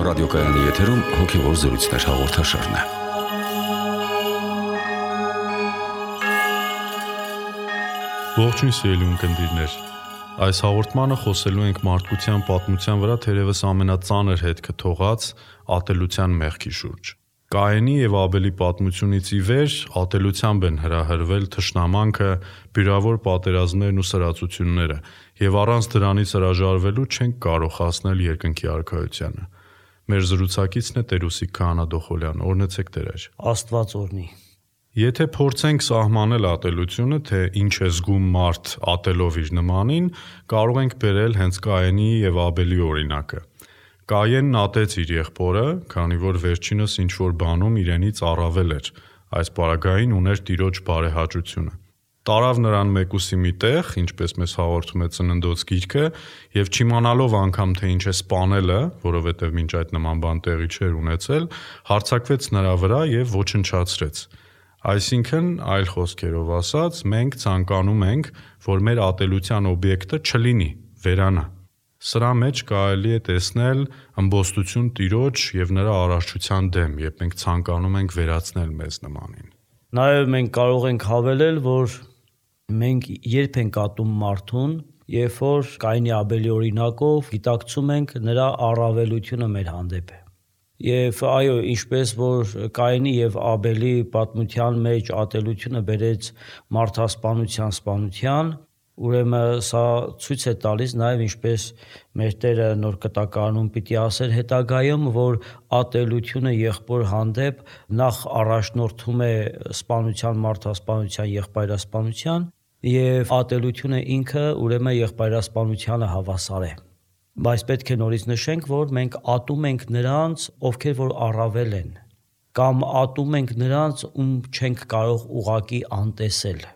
ռադիոկայանի եթերում հոգևոր զրույցներ հաղորդաշարն է։ Ողջույն սիրելի ունկնդիրներ։ Այս հաղորդմանը խոսելու ենք մարդկության պատմության վրա թերևս ամենածանր հետքը թողած ատելության մեղքի շուրջ։ Կայենի եւ Աբելի պատմությունից ի վեր ատելությամբ են հրահրվել թշնամանքը, բյուրավոր պատերազմներն ու սրածությունները, եւ առանց դրանից հրաժարվելու չենք կարող հասնել երկնքի արքայությանը։ Մեր զրուցակիցն է Տեր-Ուսիկ Քահանա-Դոխոլյան, օրհնեցեք Տեր։ Աստված օրհնի։ Եթե փորձենք սահմանել ատելությունը, թե ինչ է զգում մարդ ատելով իր նմանին, կարող ենք բերել հենց Կայենի եւ Աբելի օրինակը։ Կայենն ատեց իր եղբորը, քանի որ վերջինս ինչ-որ բանում իրենից առավել էր, այս պարագային ուներ Տիրոջ բարեհաճությունը։ Տարավ նրան մեկուսի մի տեղ, ինչպես մեզ հաղորդում է Ծննդոց գիրքը, եւ չիմանալով անգամ թե ինչ է սպանելը, որովհետեւ մինչ այդ նման բան տեղի չէր ունեցել, հարձակվեց նրա վրա եւ ոչնչացրեց։ Այսինքն, այլ խոսքերով ասած, մենք ցանկանում ենք, որ մեր ատելության օբյեկտը չլինի, վերանա։ Սրա մեջ կարելի է տեսնել ըմբոստություն Տիրոջ եւ նրա արարչության դեմ, երբ մենք ցանկանում ենք վերացնել մեզ նմանին։ Նաեւ մենք կարող ենք հավելել, որ մենք երբ ենք ատում մարդուն, երբ որ Կայենի Աբելի օրինակով գիտակցում ենք նրա առավելությունը մեր հանդեպ։ Եվ այո, ինչպես որ Կայենի եւ Աբելի պատմության մեջ ատելությունը բերեց մարդասպանության սպանության, ուրեմն սա ցույց է տալիս նաև ինչպես մեր Տերը նոր կտակարանում պիտի ասեր հետագայում, որ ատելությունը եղբոր հանդեպ նախ առաջնորդում է սպանության, մարդասպանության, եղբայրասպանության եւ ատելությունը ինքը ուրեմն եղբայրասպանությանը հավասար է։ Բայց պետք է նորից նշենք, որ մենք ատում ենք նրանց, ովքեր որ առավել են, կամ ատում ենք նրանց, ում չենք կարող ուղակի անտեսել։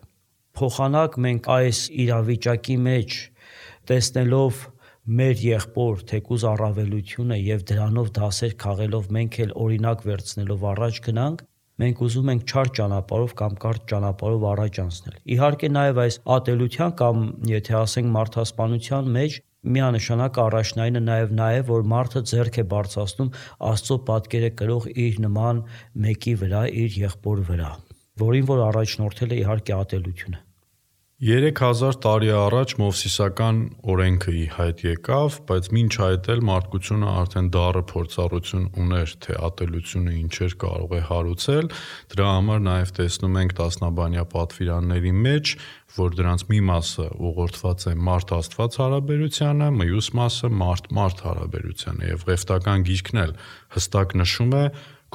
Փոխանակ մենք այս իրավիճակի մեջ տեսնելով մեր եղբոր թեկուզ առավելությունը եւ դրանով դասեր քաղելով մենք էլ օրինակ վերցնելով առաջ գնանք, մենք ուզում ենք չար ճանապարհով կամ կարճ ճանապարհով առաջ անցնել։ Իհարկե նաեւ այս ատելության կամ եթե ասենք մարդասպանության մեջ միանշանակ առաջնայինը նաեւ որ մարդը ձեռք է բարձրացնում Աստծո պատկերը կրող իր նման մեկի վրա, իր եղբոր վրա, որին որ առաջնորդել է իհարկե ատելությունը։ 3000 տարի առաջ Մովսիսական օրենքը ի հայտ եկավ, բայց մինչ այդ էլ մարդկությունը արդեն դառը փորձառություն ուներ, թե ատելությունը ինչեր կարող է հարուցել, դրա համար նաև տեսնում ենք տասնաբանյա պատվիրանների մեջ, որ դրանց մի մասը ուղղորդված է մարդ-Աստված հարաբերությանը, մյուս մասը մարդ-մարդ հարաբերությանը, եւ Ղևտական գիրքն էլ հստակ նշում է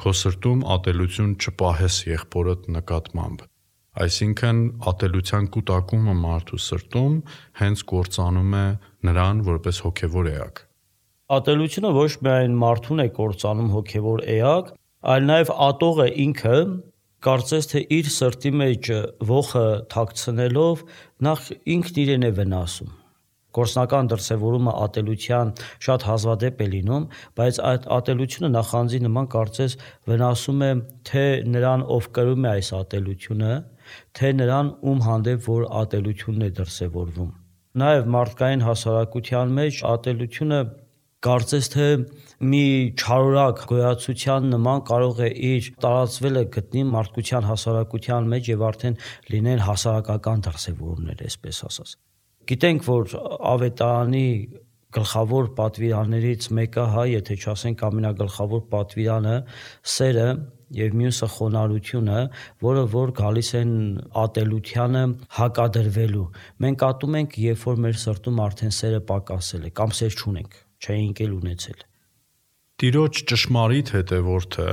քո սրտում ատելություն չպահես եղբորդ նկատմամբ։ Այսինքն ատելության կուտակումը մարդու սրտում հենց կործանում է նրան որպես հոգևոր էակ։ Ատելությունը ոչ միայն մարդուն է կործանում հոգևոր էակ, այլ նաև ատողը ինքը կարծես թե իր սրտի մեջ ողը թաքցնելով նախ ինքն իրեն է վնասում։ Գործնական դրսևորումը ատելության շատ հազվադեպ է լինում, բայց այդ ատելությունը նախանձի նման կարծես վնասում է թե նրան, ով կրում է այս ատելությունը, թե նրան, ում հանդեպ որ ատելությունն է դրսևորվում։ Նաև մարդկային հասարակության մեջ ատելությունը կարծես թե մի չարորակ գոյացության նման կարող է իր տարածվելը գտնի մարդկության հասարակության մեջ եւ արդեն լինեն հասարակական դրսևորումներ, այսպես ասած։ Գիտենք, որ Ավետարանի գլխավոր պատվիրաններից մեկը, եթե չասենք ամենագլխավոր պատվիրանը, սերը եւ մյուսը խոնարհությունը, որը որ գալիս են ատելությանը հակադրվելու։ Մենք ատում ենք, երբ որ մեր սրտում արդեն սերը պակասել է կամ սեր չունենք, չենք էլ ունեցել։ Տիրոջ ճշմարիտ հետևորդը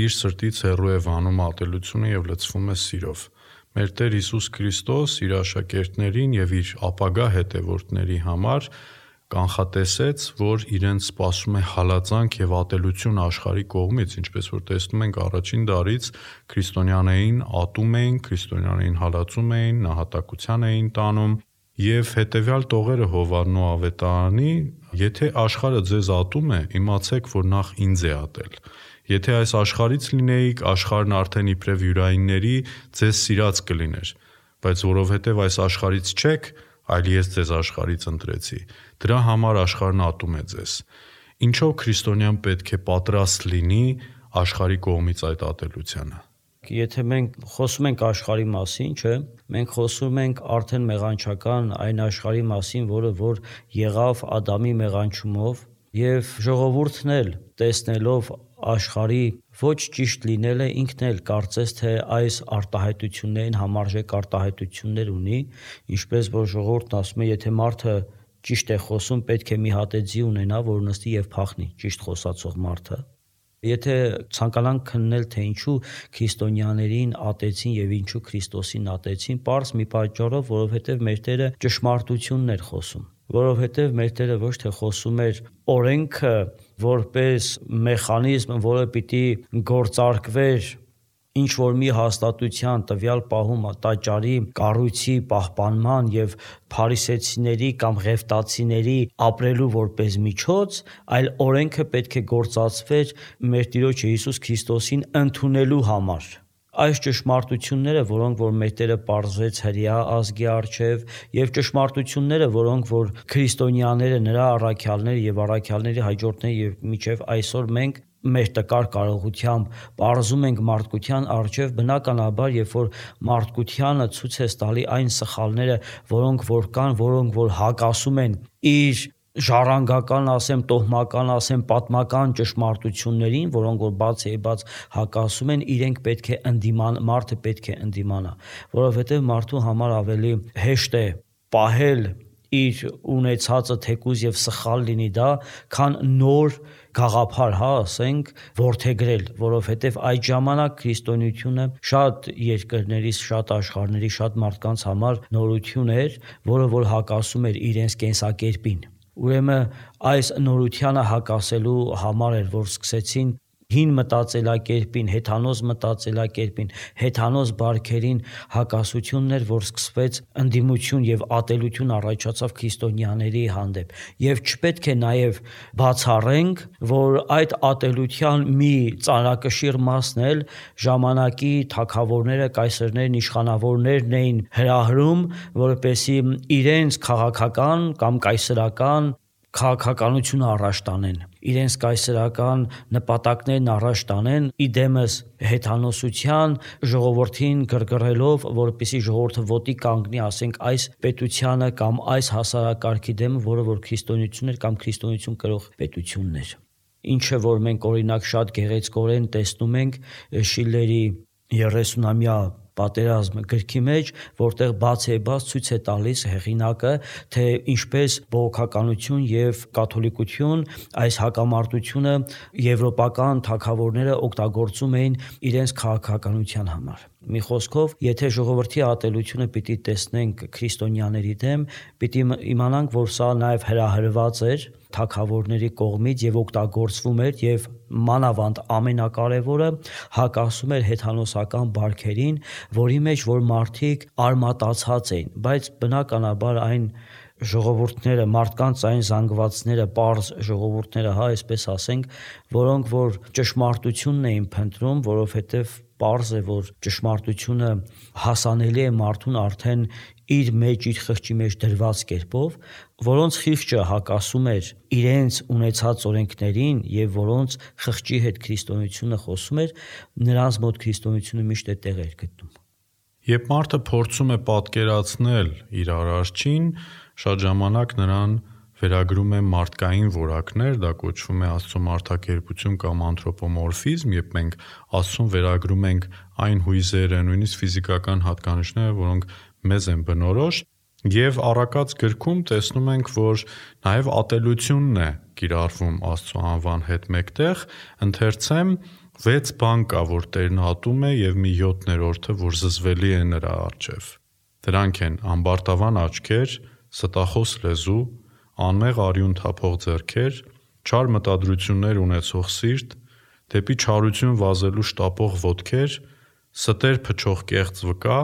իր սրտից հեռու է վանում ատելությունը եւ լցվում է սիրով։ Մեր Տեր Հիսուս Քրիստոս իր աշակերտներին եւ իր ապագա հետևորդների համար կանխատեսեց, որ իրենց սպասում է հալածանք եւ ատելություն աշխարհի կողմից, ինչպես որ տեսնում ենք առաջին դարից քրիստոնյաներին ատում էին, քրիստոնյաներին հալածում էին, նահատակության էին տանում եւ հետեւյալ տողերը Հովհաննու Ավետարանի, եթե աշխարհը ձեզ ատում է, իմացեք, որ նախ ինձ է ատել։ Եթե այս աշխարհից լինեիք, աշխարհն արդեն իբրև յուրայինների ձեզ սիրած կլիներ, բայց որովհետև այս աշխարհից չեք, այլ ես ձեզ աշխարհից ընտրեցի, դրա համար աշխարհն ատում է ձեզ։ Ինչով քրիստոնյան պետք է պատրաստ լինի աշխարհի կողմից այդ ատելությանը։ Եթե մենք խոսում ենք աշխարհի մասին, չէ, մենք խոսում ենք արդեն մեղանչական այն աշխարհի մասին, որը որ եղավ Ադամի մեղանչումով, եւ ժողովուրդն էլ տեսնելով աշխարհի ոչ ճիշտ լինելը ինքն էլ կարծես թե այս արտահայտություններին համարժեք արտահայտություններ ունի, ինչպես որ ժողովուրդն ասում է, եթե մարդը ճիշտ է խոսում, պետք է մի հատ ձի ունենա, որ նստի եւ փախնի, ճիշտ խոսացող մարդը։ Եթե ցանկանանք քննել, թե ինչու քրիստոնյաներին ատեցին եւ ինչու Քրիստոսին ատեցին, պարզ մի պատճառով, որովհետեւ մեր Տերը ճշմարտությունն էր խոսում, որովհետեւ մեր Տերը ոչ թե խոսում էր օրենքը որպես մեխանիզմ, որը պիտի գործարկվեր ինչ որ մի հաստատության տվյալ պահում տաճարի կառույցի պահպանման եւ փարիսեցիների կամ ղևտացիների ապրելու որպես միջոց, այլ օրենքը պետք է գործածվեր մեր Տիրոջ Հիսուս Քրիստոսին ընդունելու համար։ Այս ճշմարտությունները, որոնք որ մեր Տերը պարզեց հրեա ազգի առջև, եւ ճշմարտությունները, որոնք որ քրիստոնյաները, նրա առաքյալները եւ առաքյալների հաջորդները եւ միջև այսօր մենք մեր տկար կարողությամբ պարզում ենք մարդկության առջև, բնականաբար, երբ որ մարդկությանը ցույց է տալի այն սխալները, որոնք որ կան, որոնք որ հակասում են իր ժառանգական, ասեմ, տոհմական, ասեմ, պատմական ճշմարտություններին, որոնք որ բաց հակասում են, իրենք պետք է մարդը պետք է ընդդիմանա, որովհետև մարդու համար ավելի հեշտ է պահել իր ունեցածը թեկուզ եւ սխալ լինի դա, քան նոր գաղափար, ասենք, որդեգրել, որովհետև այդ ժամանակ քրիստոնեությունը շատ երկրների, շատ աշխարհների, շատ մարդկանց համար նորություն էր, որը որ հակասում էր իրենց կենսակերպին։ Ուրեմն այս նորությանը հակասելու համար էր, որ սկսեցին հին մտածելակերպին, հեթանոս բարքերին հակասություններ, որ սկսվեց ընդդիմություն եւ ատելություն առաջացավ քրիստոնյաների հանդեպ։ Եվ չպետք է նաեւ բացառենք, որ այդ ատելության մի ծանրակշիռ մասն էլ ժամանակի թագավորները, կայսերներն, իշխանավորներն էին հրահրում, որպեսզի իրենց քաղաքական կամ կայսերական քաղաքականությունը առաջ տանեն, իրենց կայսերական նպատակներն առաջ տանեն, իդեմս հեթանոսության ժողովրդին գրգռելով, որպեսզի ժողովուրդը ոտի կանգնի, ասենք, այս պետությանը կամ այս հասարակարգի դեմ, որը որ քրիստոնեություն էր կամ քրիստոնեություն կրող պետությունն էր։ Ինչը որ մենք օրինակ շատ գեղեցկորեն տեսնում ենք Շիլլերի 30-ամյա պատերազմ գրքի մեջ, որտեղ բաց ցույց է տալիս հեղինակը, թե ինչպես բողոքականություն եւ կաթոլիկություն այս հակամարտությունը եվրոպական թագավորները օգտագործում էին իրենց քաղաքականության համար։ Մի խոսքով, եթե ժողովրդի ատելությունը պիտի տեսնենք քրիստոնյաների դեմ, պիտի իմանանք, որ սա նաեւ հրահրված էր թագավորների կողմից եւ օգտագործվում էր եւ մանավանդ ամենակարևորը հակասում էր հեթանոսական բարքերին, որի մեջ որ մարդիկ արմատացած էին, բայց բնականաբար այն ժողովուրդները, մարդկանց այն զանգվածները, պարզ ժողովուրդները, այսպես ասենք, որոնք որ ճշմարտությունն էին փնտրում, որովհետև պարզ է, որ ճշմարտությունը հասանելի է մարդուն արդեն իր մեջ, իր խղճի մեջ դրված կերպով, որոնց խիղճը հակասում էր իրենց ունեցած օրենքներին եւ որոնց խղճի հետ քրիստոնեությունը խոսում էր, նրանց մոտ քրիստոնեությունը միշտ է տեղ էր գտնում։ Երբ մարդը փորձում է պատկերացնել իր արարչին, շատ ժամանակ նրան վերագրում է մարդկային որակներ, դա կոչվում է Աստծո մարդակերպություն կամ անթրոպոմորֆիզմ, երբ մենք Աստծուն վերագրում ենք այն հույզերը, նույնիսկ ֆիզիկական հատկանիշները, որոնք մեզ են բնորոշ, եւ առակած գրքում տեսնում ենք, որ նաեւ ատելությունն է կիրառվում Աստծո անվան հետ մեկտեղ, ընթերցեմ 6 բան կա, որ Տերն ատում է եւ մի 7-րդը, որ զզվելի է նրա առջև։ Դրանք են ամբարտավան աչքեր, ստախոս լեզու, անմեղ արյուն թափող ձեռքեր, չար մտադրություններ ունեցող սիրտ, դեպի չարություն վազելու շտապող ոտքեր, ստեր փչող կեղծ վկա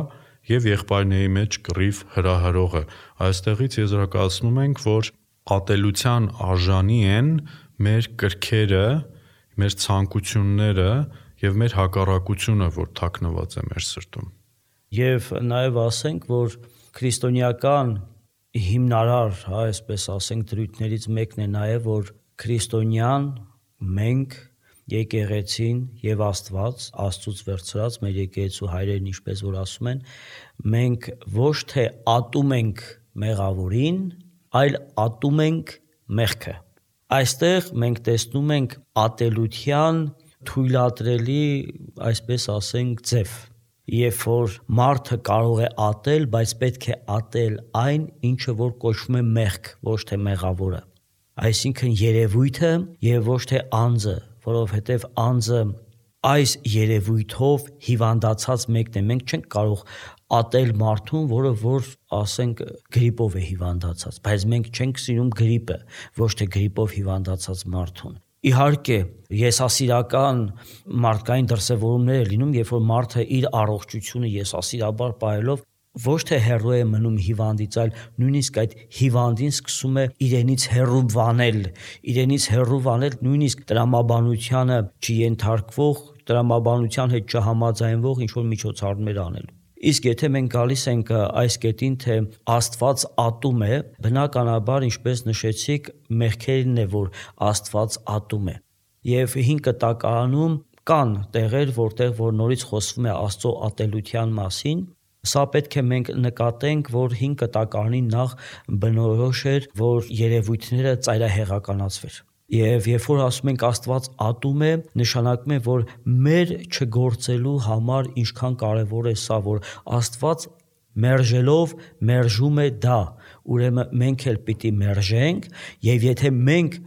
եւ եղբայրների մեջ կռիվ հրահրողը։ Այստեղից եզրակացնում ենք, որ ատելության արժանի են մեր կրքերը, մեր ցանկությունները եւ մեր հակառակությունը, որ թաքնված է մեր սրտում։ Եվ նաեւ ասենք, որ քրիստոնեական հիմնարար, այսպես ասենք, դրույթներից մեկն է նաեւ, որ քրիստոնյան, մենք, եկեղեցին եւ Աստված, Աստծուց վերցրած մեր եկեղեցու հայրերն ինչպես որ ասում են, մենք ոչ թե ատում ենք մեղավորին, այլ ատում ենք մեղքը։ Այստեղ մենք տեսնում ենք ատելության թույլատրելի, այսպես ասենք, ձև։ Երբ որ մարդը կարող է ատել, բայց պետք է ատել այն, ինչը որ կոչվում է մեղք, ոչ թե մեղավորը։ Այսինքն երևույթը եւ ոչ թե անձը, որովհետեւ անձը այս երևույթով հիվանդացած մեկն է։ Մենք չենք կարող ատել մարդուն, որը որ ասենք գրիպով է հիվանդացած, բայց մենք չենք սիրում գրիպը, ոչ թե գրիպով հիվանդացած մարդուն։ Իհարկե, եսասիրական մարդկային դրսևորումներ է լինում, երբ որ մարդը իր առողջությունը եսասիրաբար պահելով ոչ թե հեռու է մնում հիվանդից, այլ նույնիսկ այդ հիվանդին սկսում է իրենից հեռու վանել, նույնիսկ տրամաբանությանը չենթարկվող, տրամաբանության հետ չհամաձայնվող ինչ-որ միջոցառումներ անելու։ Իսկ եթե մենք գալիս ենք այս կետին, թե Աստված ատում է, բնականաբար, ինչպես նշեցիք, մեղքերն է, որ Աստված ատում է։ Եվ 5 կտակարանում կան տեղեր, որտեղ որ նորից խոսվում է Աստծո ատելության մասին։ Սա պետք է մենք նկատենք, որ 5 կտակարանի նախ բնորոշ էր, որ երևույթները ծայրահեղականացվեր։ Եվ երբ որ ասում ենք Աստված ատում է, նշանակում է, որ մեր չգործելու համար ինչքան կարևոր է սա, որ Աստված մերժելով մերժում է դա, ուրեմն մենք էլ պիտի մերժենք, եւ եթե մենք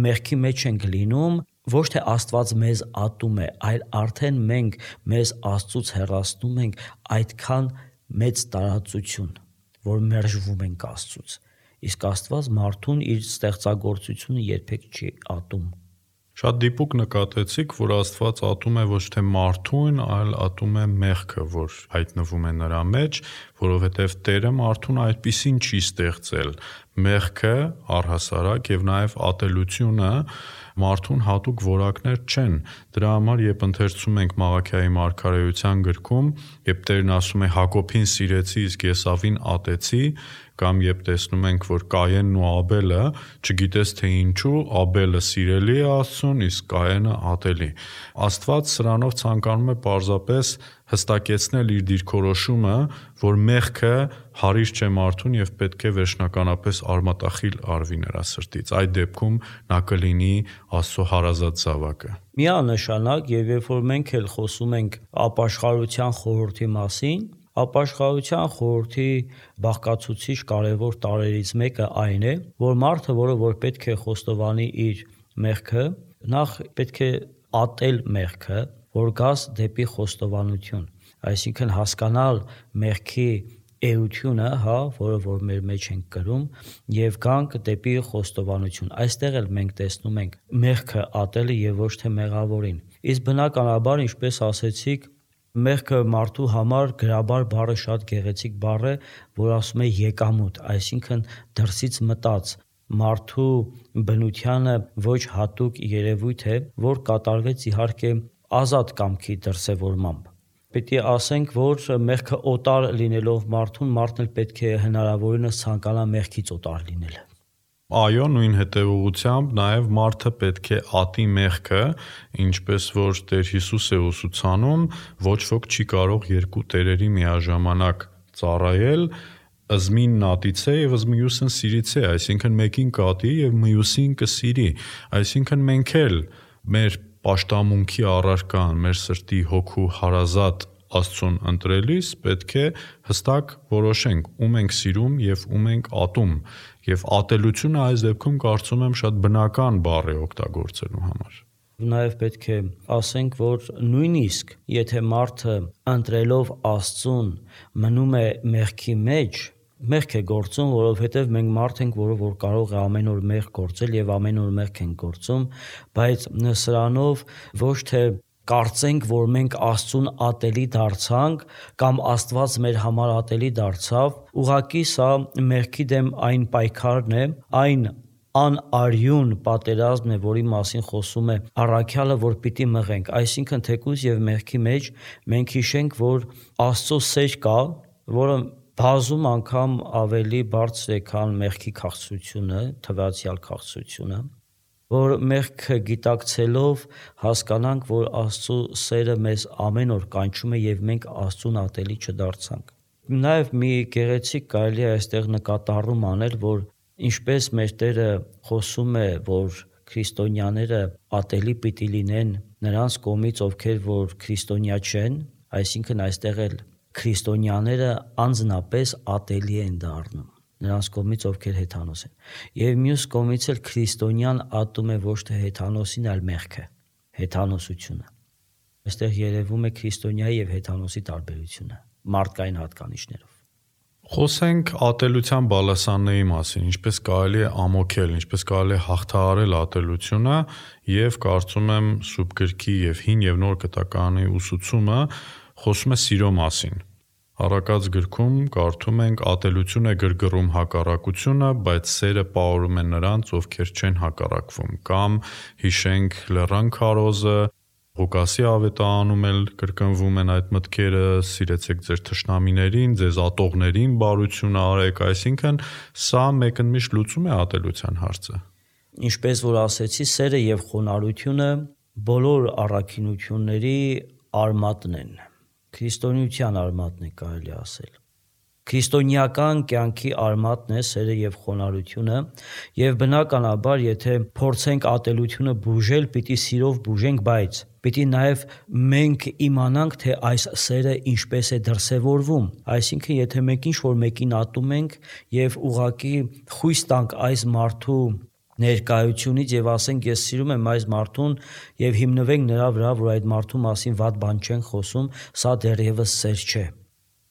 մեղքի մեջ ենք լինում, ոչ թե Աստված մեզ ատում է, այլ արդեն մենք մեզ Աստծուց հեռացնում ենք այդքան մեծ տարածություն, որ մերժվում ենք Աստծուց։ Իսկ Աստված մարդուն իր ստեղծագործությունը երբեք չի ատում։ Շատ դիպուկ նկատեցիք, որ Աստված ատում է ոչ թե մարդուն, այլ ատում է մեղքը, որ հայտնվում է նրա մեջ, որովհետև Տերը մարդուն այդպիսին չի ստեղծել։ Մեղքը առհասարակ եւ նաեւ ատելությունը մարդուն հատուկ որակներ չեն։ Դրա համար, երբ ընթերցում ենք Մաղաքիայի մարգարեության գրքում, երբ Տերն ասում է Հակոբին սիրեցի, իսկ Եսավին ատեցի, կամ երբ տեսնում ենք, որ Կայենն ու Աբելը, չգիտես թե ինչու, Աբելը սիրելի է Աստծուն, իսկ Կայենը ատելի։ Աստված սրանով ցանկանում է պարզապես հստակեցնել իր դիրքորոշումը, որ մեղքը հարիր չէ մարդուն եւ պետք է վերջնականապես արմատախիլ արվի նրա սրտից։ Այդ դեպքում նա կլինի Աստծո հարազատ զավակը։ Միանշանակ, եւ երբ որ մենք էլ խոսում ենք ապաշխարության խորհրդի մասին, ապաշխարության խորհրդի բաղկացուցիչ կարևոր տարրերից մեկը այն է, որ մարդը, որը որ պետք է խոստովանի իր մեղքը, նախ պետք է ատել մեղքը, որ գաս դեպի խոստովանություն, այսինքն հասկանալ մեղքի էությունը, որը որ մեր մեջ ենք կրում, եւ գանք դեպի խոստովանություն։ Այստեղ էլ մենք տեսնում ենք մեղքը ատելը եւ ոչ թե մեղավորին։ Իսկ բնականաբար, ինչպես ասեցիք, մեղքը մարդու համար գրաբար բառը շատ գեղեցիկ բառ է, որ ասում է եկամուտ, այսինքն դրսից մտած մարդու բնությանը ոչ հատուկ երևույթ է, որ կատարվեց իհարկե ազատ կամքի դրսևորմամբ։ Պետք է ասենք, որ մեղքը օտար լինելով մարդուն, մարդն էլ պետք է հնարավորինս ցանկանա մեղքից օտար լինել։ Այո, նույն հետևողությամբ նաև մարդը պետք է ատի մեղքը, ինչպես որ Տեր Հիսուս է ուսուցանում, ոչ ոք չի կարող երկու տերերի միաժամանակ ծառայել, ըզմին նատիցե եւ ըզմիուսն սիրիցե, այսինքն մեկին կատի եւ մյուսին կսիրի, այսինքն մենք էլ մեր պաշտամունքի առարկան, մեր սրտի հոգու հարազատ Աստծուն ընտրելիս պետք է հստակ որոշենք ում ենք սիրում եւ ում ենք ատում, եւ ատելությունը այս դեպքում կարծում եմ շատ բնական բառ է օգտագործելու համար։ Նաև պետք է ասենք, որ նույնիսկ եթե մարդը ընտրելով Աստծուն մնում է մեղքի մեջ, մեղք է գործում, որովհետև մենք մարդ ենք, որ կարող է ամեն օր մեղք գործել եւ ամեն օր մեղք ենք գործում, բայց սրանով ոչ թե կարծենք, որ մենք Աստծուն ատելի դարձանք կամ Աստված մեր համար ատելի դարձավ, ուղղակի սա մեղքի դեմ այն պայքարն է, այն անարյուն պատերազմն է, որի մասին խոսում է առաքյալը, որ պիտի մղենք, այսինքն թեկուզ եւ մեղքի մեջ մենք հիշենք, որ Աստծո սեր կա, որը բազում անգամ ավելի բարձր է, քան մեղքի քաղցրությունը, թվացial քաղցրությունը, որ մեղքը գիտակցելով հասկանանք, որ Աստծո սերը մեզ ամեն օր կանչում է եւ մենք Աստծուն ատելի չդարձանք։ Նաեւ մի գեղեցիկ կարելի է այստեղ նկատառում անել, որ ինչպես մեր Տերը խոսում է, որ քրիստոնյաները ատելի պիտի լինեն նրանց կողմից, ովքեր որ քրիստոնյա չեն, այսինքն այստեղ էլ քրիստոնյաները անձնապես ատելի են դառնում նրանց կողմից, ովքեր հեթանոս են։ Եվ մյուս կողմից էլ քրիստոնյան ատում է ոչ թե հեթանոսին, այլ մեղքը, հեթանոսությունը։ Այստեղ երևում է քրիստոնյայի եւ հեթանոսի տարբերությունը մարդկային հատկանիշներով։ Խոսենք ատելության բալասանների մասին, ինչպես կարելի է ամոքել, ինչպես կարելի է հաղթահարել ատելությունը, եւ կարծում եմ Սուրբ գրքի եւ Հին եւ Նոր Գտականի ուսուցումը խոսում է սիրո մասին։ Առակաց գրքում կարդում ենք. ատելություն է գրգռում հակառակությունը, բայց սերը պահորում է նրանց, ովքեր չեն հակառակվում, կամ հիշենք լեռան քարոզը, Ղուկասի ավետարանում էլ կրկնվում են այդ մտքերը. սիրեցեք ձեր թշնամիներին, ձեզ ատողներին բարություն արեք, այսինքն սա մեկընդմիշտ լուծում է ատելության հարցը։ Ինչպես որ ասեցի, սերը եւ խոնարհությունը բոլոր առաքինությունների արմատն են։ Քրիստոնեության արմատն է կարելի ասել։ Քրիստոնեական կյանքի արմատն է սերը եւ խոնարհությունը, եւ բնականաբար, եթե փորձենք ատելությունը բուժել, պիտի սիրով բուժենք, բայց պիտի նաեւ մենք իմանանք, թե այս սերը ինչպես է դրսևորվում։ Այսինքն, եթե մենք ինչ-որ մեկին ատում ենք եւ ուղղակի խույս տանք այս մարդու ներկայությունից եւ ասենք ես սիրում եմ այս մարդուն եւ հիմնվենք նրա վրա, որ այդ մարդու մասին վատ բան չեն խոսում, սա դեռևս սեր չէ։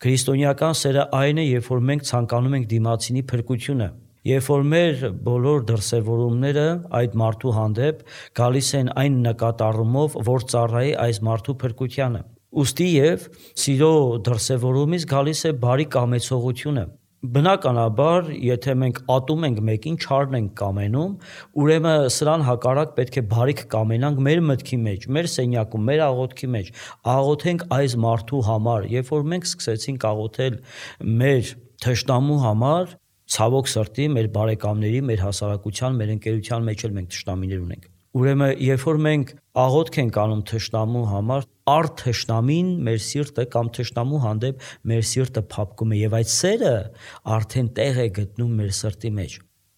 Քրիստոնեական սերը այն է, երբ որ մենք ցանկանում ենք դիմացինի փրկությունը, երբ որ մեր բոլոր դրսևորումները այդ մարդու հանդեպ գալիս են այն նկատառումով, որ ծառայի այս մարդու փրկությանը։ Ուստի եւ սիրո դրսևորումից գալիս է բարի կամեցողությունը։ Բնականաբար, եթե մենք ատում ենք մեկին, չարն ենք կամենում, ուրեմն սրան հակառակ պետք է բարիք կամենանք մեր մտքի մեջ, մեր սենյակում, մեր աղոթքի մեջ, աղոթենք այս մարդու համար։ Երբ որ մենք սկսեցինք աղոթել մեր թշնամու համար, ցավոք սրտի մեր բարեկամների, մեր հասարակության, մեր ընկերության մեջ էլ մենք թշնամիներ ունենք։ Ուրեմն, երբ որ մենք աղոթք ենք անում թշնամու համար, առ թշնամին մեր սիրտը կամ թշնամու հանդեպ մեր սիրտը փափկում է եւ այդ սերը արդեն տեղ է գտնում մեր սրտի մեջ։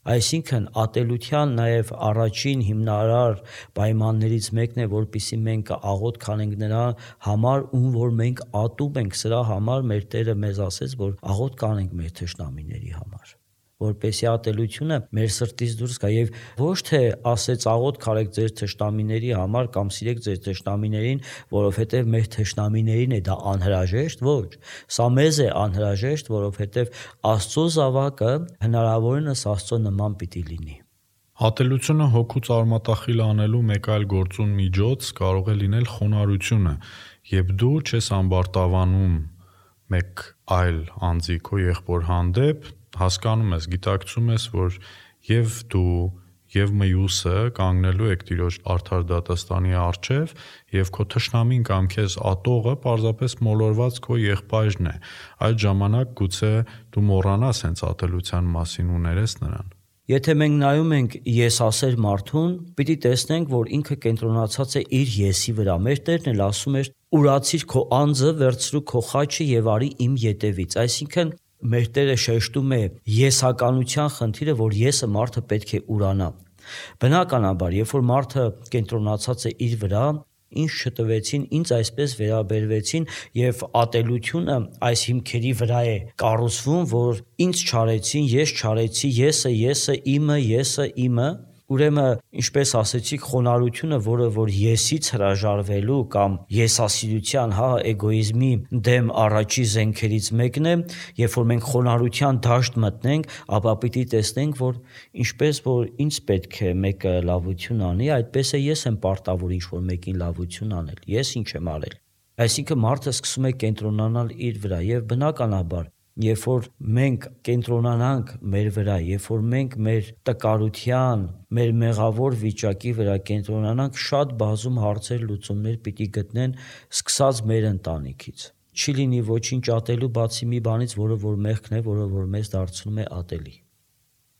Այսինքն ատելության նաեւ առաջին հիմնարար պայմաններից մեկն է, որպեսզի մենք աղոթք անենք նրա համար, ում որ մենք ատում ենք, սրա համար մեր Տերը մեզ ասեց, որ աղոթք անենք մեր թշնամիների համար, որպեսզի ատելությունը մեր սրտից դուրս գա եւ ոչ թե ասեց աղոթք արեք ձեր թշնամիների համար կամ սիրեք ձեր թշնամիներին, որովհետեւ մեր թշնամիներին է դա անհրաժեշտ, ոչ, սա մեզ է անհրաժեշտ, որովհետեւ Աստծո զավակը հնարավորինս Աստծո նման պիտի լինի։ Ատելությունը հոգուց արմատախիլ անելու մեկ այլ գործուն միջոց կարող է լինել խոնարհությունը, երբ դու չես ամբարտավանում մեկ այլ անձի քո եղբոր հանդեպ, հասկանում ես, գիտակցում ես, որ եւ դու եւ մյուսը կանգնելու եք Տիրոջ արդար դատաստանի առջև եւ քո թշնամին կամ քեզ ատողը պարզապես մոլորված քո եղբայրն է։ Այդ ժամանակ գուցե դու մոռանաս հենց ատելության մասին ու ներես նրան։ Եթե մենք նայում ենք եսասեր մարդուն, պիտի տեսնենք, որ ինքը կենտրոնացած է իր եսի վրա։ Մեր Տերն էլ ասում էր. «Ուրացիր քո անձը, վերցրու քո խաչը եւ արի իմ ետևից»։ Այսինքն մեր Տերը շեշտում է եսականության խնդիրը, որ եսը մարդը պետք է ուրանա։ Բնականաբար, երբ որ մարդը կենտրոնացած է իր վրա, ինձ չտվեցին, ինձ այսպես վերաբերվեցին եւ ատելությունը այս հիմքերի վրա է կառուցվում, որ ինձ չարեցին, ես չարեցի, եսը իմը, ուրեմն ինչպես ասեցիք, խոնարհությունը, որը որ եսից հրաժարվելու կամ եսասիրության, էգոիզմի դեմ առաջի զենքերից մեկն է, երբ որ մենք խոնարհության դաշտ մտնենք, ապա պիտի տեսնենք, որ ինչպես որ ինձ պետք է մեկը լավություն անի, այդպես է ես եմ պարտավոր ինչ-որ մեկին լավություն անել, ես ինչ եմ արել։ Այսինքն մարդը սկսում է կենտրոնանալ իր վրա եւ բնականաբար երբ որ մենք կենտրոնանանք մեր վրա, երբ որ մենք մեր տկարության, մեր մեղավոր վիճակի վրա կենտրոնանանք, շատ բազում հարցեր լուծումներ պիտի գտնեն սկսած մեր ընտանիքից։ Չի լինի ոչինչ ատելու բացի մի բանից, որը որ մեղքն է, որը որ մեզ դարձնում է ատելի։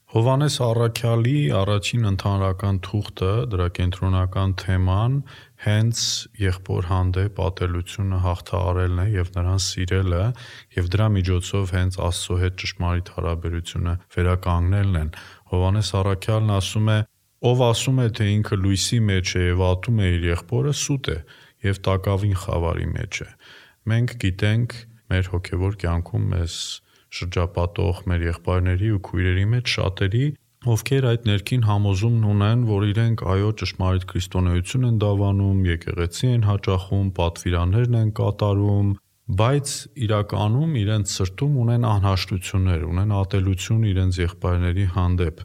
Հովհաննես Առաքյալի առաջին ընդհանրական թուղթը, դրա կենտրոնական թեման հենց եղբոր հանդեպ ատելությունը հաղթահարելն է եւ նրան սիրելը եւ դրա միջոցով հենց Աստծո հետ ճշմարիտ հարաբերությունը վերականգնելն են։ Հովհաննես Առաքյալն ասում է. «Ով ասում է, թե ինքը լույսի մեջ է եւ ատում է իր եղբորը, սուտ է եւ տակավին խավարի մեջ է»։ Մենք գիտենք մեր հոգեվոր կյանքում մեզ շրջապատող մեր եղբայրների ու քույրերի մեջ շատերի, ովքեր այդ ներքին համոզումն ունեն, որ իրենք այո ճշմարիտ քրիստոնեություն են դավանում, եկեղեցի են հաճախում, պատվիրաններն են կատարում, բայց իրականում իրենց սրտում ունեն անհաշտություններ, ունեն ատելություն իրենց եղբայրների հանդեպ։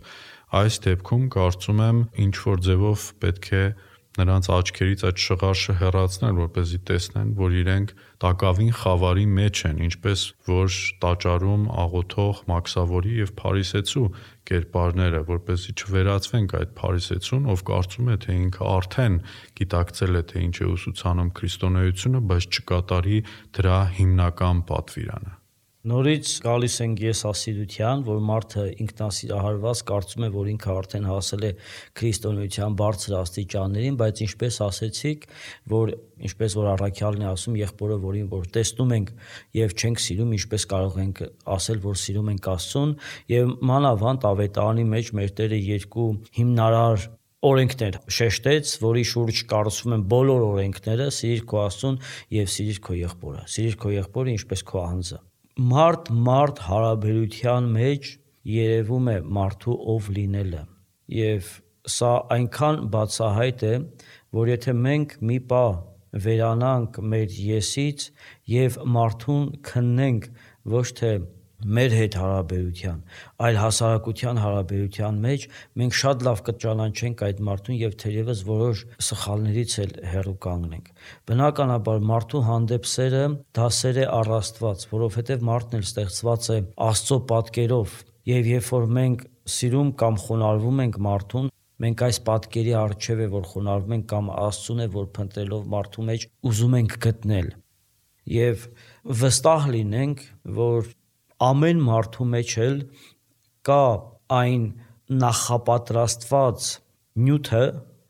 Այս դեպքում կարծում եմ ինչ որ ձևով պետք է նրանց աչքերից այդ շղարշը հեռացնել, որպեսզի տեսնեն, որ իրենք տակավին խավարի մեջ են, ինչպես որ տաճարում աղոթող մաքսավորի եւ փարիսեցու կերպարները, որպեսզի չվերածվենք այդ փարիսեցուն, ով կարծում է, թե ինքը արդեն գիտակցել է, թե ինչ է ուսուցանում քրիստոնեությունը, բայց չկատարի դրա հիմնական պատվիրանը։ Նորից գալիս ենք եսասիրության, որ մարդը ինքնասիրահարված կարծում է, որ ինքը արդեն հասել է քրիստոնեության բարձր աստիճաններին, բայց ինչպես ասեցիք, որ ինչպես որ Առաքյալն է ասում, եղբորը, որին որ տեսնում ենք եւ չենք սիրում, ինչպես կարող ենք ասել, որ սիրում ենք Աստծուն, եւ մանավանդ Ավետարանի մեջ մեր Տերը երկու հիմնարար օրենքներ շեշտեց, որի շուրջ կառուցվում են բոլոր օրենքները՝ սիրիր քո Աստծուն եւ սիրիր քո եղբորը։ Սիրիր քո եղբորը ինչպես քո անձը։ Մարդ հարաբերության մեջ երևում է մարդու ով լինելը եւ սա այնքան բացահայտ է, որ եթե մենք մի պահ վերանանք մեր եսից եւ մարդուն քննենք ոչ թե մեր հետ հարաբերության, այլ հասարակության հարաբերության մեջ, մենք շատ լավ կճանաչենք այդ մարդուն եւ թերևս որոշ սխալներից էլ հեռու կանգնենք։ Բնականաբար մարդու հանդեպ սերը դա սեր է առ Աստված, որովհետեւ մարդն էլ ստեղծված է Աստծո պատկերով եւ երբ որ մենք սիրում կամ խոնարհվում ենք մարդուն, մենք այս պատկերի առջև է որ խոնարհվում ենք կամ Աստծուն է որ փնտրելով մարդու մեջ ուզում ենք գտնել։ Եվ վստահ լինենք, որ ամեն մարդու մեջ էլ կա այն նախապատրաստված նյութը,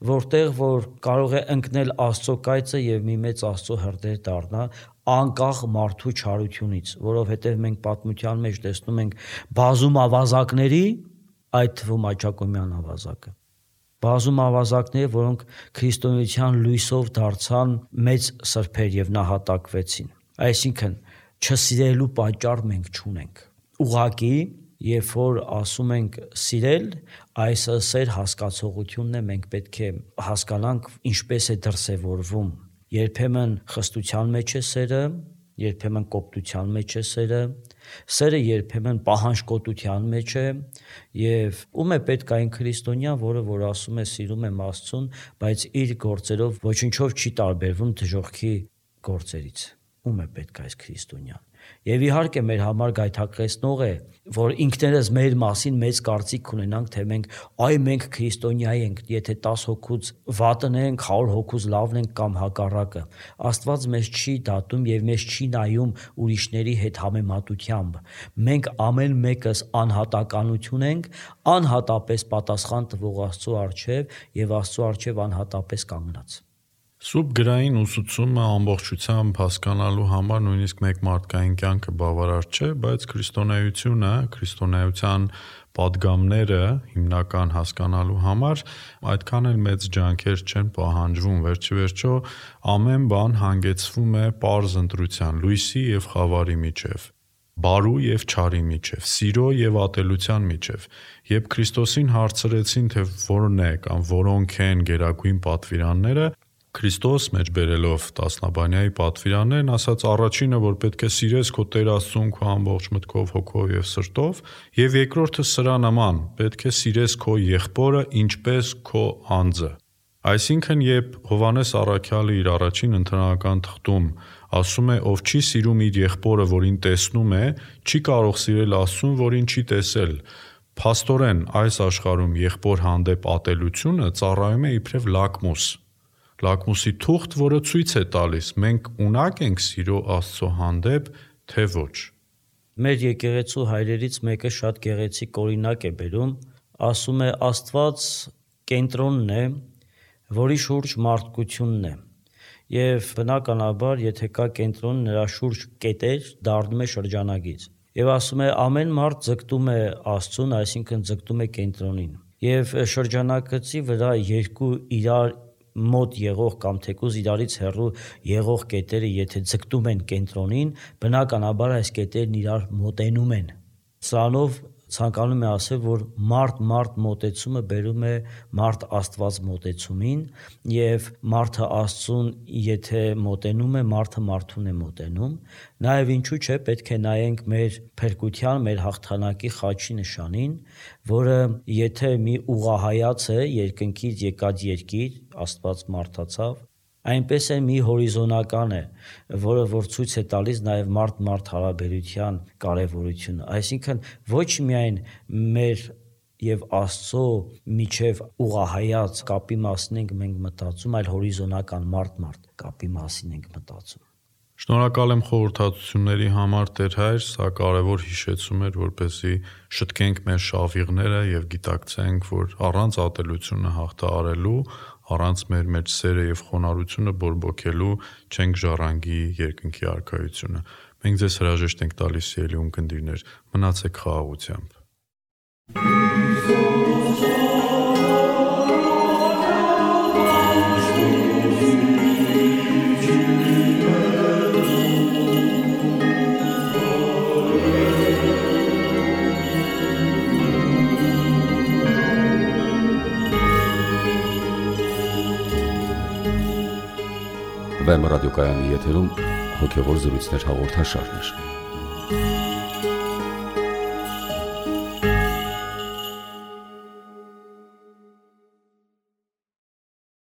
որտեղ որ կարող է ընկնել Աստծո կայծը եւ մի մեծ Աստծո հրդեհ դառնա անկախ մարդու չարությունից, որովհետեւ մենք պատմության մեջ տեսնում ենք բազում ավազակների, այդ թվում Աճակոմյան ավազակը, բազում ավազակներ, որոնք քրիստոնեության լույսով դարձան մեծ սրբեր եւ նահատակվեցին։ Այսինքն չսիրելու պատճառ մենք չունենք։ Ուղղակի, երբ որ ասում ենք սիրել, այս սեր հասկացողությունն է, մենք պետք է հասկանանք ինչպես է դրսևորվում։ Երբեմն խստության մեջ է սերը, երբեմն կոպտության մեջ է սերը երբեմն պահանջկոտության մեջ է, եւ ում է պետք այն քրիստոնյան, որը որ ասում է սիրում եմ Աստծուն, բայց իր գործերով ոչինչով չի տարբերվում դժոխքի գործերից։ Ում է պետք այս քրիստոնյան։ Եվ իհարկե մեր համար գայթակղեցնող է, որ ինքներս մեր մասին մեծ կարծիք ունենանք, թե մենք քրիստոնյա ենք, եթե 10 հոգուց վատն ենք, 100 հոգուց լավն ենք կամ հակառակը։ Աստված մեզ չի դատում եւ մեզ չի նայում ուրիշների հետ համեմատությամբ։ Մենք ամեն մեկս անհատականություն ենք, անհատապես պատասխան տվող Աստծո առջև եւ Աստծո առջև անհատապես կանգնած։ Սուրբ գրային ուսուցումը ամբողջությամբ հասկանալու համար նույնիսկ մեկ մարդկային կյանքը բավարար չէ, բայց քրիստոնեությունը, քրիստոնեության պատգամները հիմնական հասկանալու համար այդքան էլ մեծ ջանքեր չեն պահանջվում, վերջիվերջո ամեն բան հանգեցվում է պարզ ընտրության, լույսի եւ խավարի միջև, բարու եւ չարի միջև, սիրո եւ ատելության միջև։ Երբ Քրիստոսին հարցրեցին, թե որն է կամ որոնք են գերագույն պատվիրանները, Քրիստոս մեջ բերելով տասնաբանյայի պատվիրաններն ասաց առաջինը, որ պետք է սիրես քո Տեր Աստծուն քո ամբողջ մտքով, հոգով եւ սրտով, եւ երկրորդը սրա նման, պետք է սիրես քո եղբորը ինչպես քո անձը։ Այսինքն, երբ Հովհաննես Առաքյալը իր առաջին ընթերական թղթում ասում է, ով չի սիրում իր եղբորը, որին տեսնում է, չի կարող սիրել Աստծուն, որին չի տեսել։ Փաստորեն այս աշխարհում եղբոր հանդեպ ատելությունը ծառայում է իբրև լակմուսի թուղթ, որը ցույց է տալիս մենք ունակ ենք սիրո Աստծո հանդեպ, թե ոչ։ Մեր եկեղեցու հայրերից մեկը շատ գեղեցիկ օրինակ է բերում, ասում է Աստված կենտրոնն է, որի շուրջ մարդկությունն է։ Եվ բնականաբար, եթե կա կենտրոն, նրա շուրջ կետեր, դառնում է շրջանագիծ։ Եվ ասում է ամեն մարդ ձգտում է Աստծուն, այսինքն ձգտում է կենտրոնին։ Եվ շրջանակցի վրա երկու իրար մոտ եղող կամ թեկուզ իրարից հեռու եղող կետերը, եթե ձգտում են կենտրոնին, բնականաբար այս կետերն իրար մոտենում են։ Սրանով ցանկանում է ասել, որ մարդ մոտեցումը բերում է մարդ-Աստված մոտեցումին, եւ մարդը Աստծուն եթե մոտենում է, մարդը մարդուն է մոտենում։ Նաեւ ինչու՞ չէ, պետք է նայենք մեր փրկության, մեր հաղթանակի խաչի նշանին, որը եթե մի ուղղահայաց է երկնքից եկած երկիր, Աստված մարդացավ, այնպես է մի հորիզոնական է, որը որ ցույց է տալիս նաև մարդ հարաբերության կարևորությունը։ Այսինքն ոչ միայն մեր եւ Աստծո միջև ուղղահայաց կապի մասին ենք մենք մտածում, այլ հորիզոնական մարդ կապի մասին ենք մտածում։ Շնորհակալ եմ խորհրդատությունների համար Տեր Հայր, սա կարևոր հիշեցում էր, որպեսզի շտկենք մեր շավիղները եւ գիտակցենք, որ առանց ատելությունը հաղթահարելու, առանց մեր սերը եւ խոնարհությունը բորբոքելու չենք ժառանգի երկնքի արքայությունը։ Մենք ձեզ հրաժեշտ ենք տալիս, սիրելի ունկնդիրներ, մնացեք խաղաղությամբ։ Վեմ ռադիոկայանի եթերում հոգևոր զրույցներ հաղորդաշարներ։